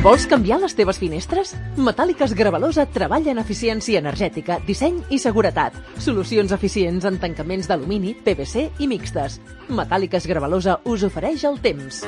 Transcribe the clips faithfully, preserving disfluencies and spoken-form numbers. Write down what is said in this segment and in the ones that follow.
Vols canviar les teves finestres? Metàl·liques Gravalosa treballa en eficiència energètica, disseny i seguretat. Solucions eficients en tancaments d'alumini, P V C i mixtes. Metàl·liques Gravalosa us ofereix el temps.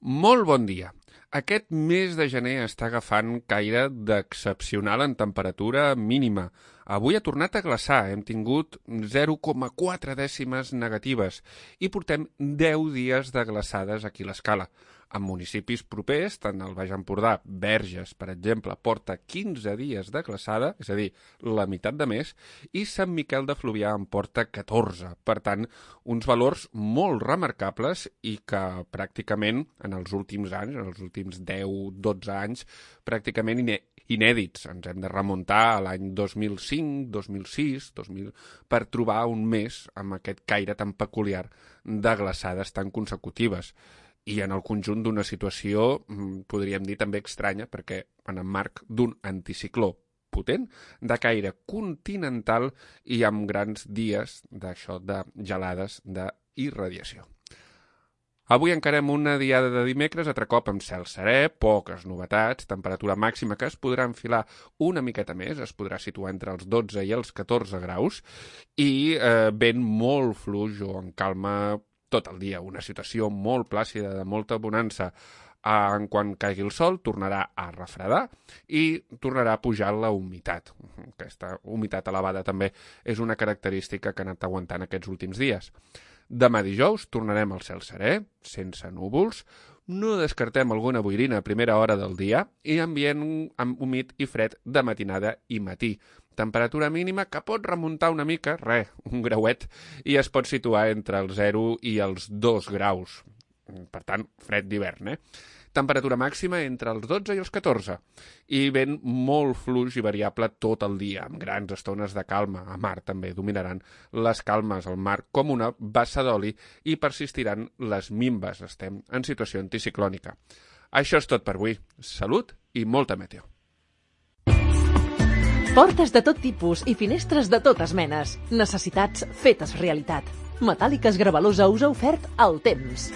Molt bon dia. Aquest mes de gener està agafant caire d'excepcional en temperatura mínima. Avui ha tornat a glaçar, hem tingut zero coma quatre dècimes negatives i portem deu dies de glaçades aquí a l'Escala. En municipis propers, tant el Baix Empordà, Verges, per exemple, porta quinze dies de glaçada, és a dir, la meitat de mes, i Sant Miquel de Fluvià en porta catorze. Per tant, uns valors molt remarcables i que pràcticament en els últims anys, en els últims deu dotze anys, pràcticament iné inèdits. Ens hem de remuntar a l'any dos mil cinc, dos mil sis, dos mil per trobar un mes amb aquest caire tan peculiar de glaçades tan consecutives. I en el conjunt d'una situació, podríem dir, també estranya, perquè en el marc d'un anticicló potent, de caire continental i amb grans dies d'això de gelades d'irradiació. Avui encarem una diada de dimecres, altre cop amb cel serè, poques novetats, temperatura màxima que es podrà enfilar una miqueta més, es podrà situar entre els dotze i els catorze graus, i eh, vent molt fluix o en calma tot el dia, una situació molt plàcida, de molta bonança. En quan caigui el sol, tornarà a refredar i tornarà a pujar la humitat. Aquesta humitat elevada també és una característica que ha anat aguantant aquests últims dies. Demà dijous tornarem al cel serè, sense núvols, no descartem alguna boirina a primera hora del dia i ambient humit i fred de matinada i matí. Temperatura mínima que pot remuntar una mica, res, un grauet, i es pot situar entre el zero i els dos graus. Per tant, fred d'hivern, eh? Temperatura màxima entre els dotze i els catorze. I vent molt fluix i variable tot el dia, amb grans estones de calma. A mar també dominaran les calmes al mar com una bassa d'oli i persistiran les minves. Estem en situació anticiclònica. Això és tot per avui. Salut i molta meteo. Portes de tot tipus i finestres de totes menes. Necessitats fetes realitat. Metàl·liques Gravalosa us ha ofert el temps.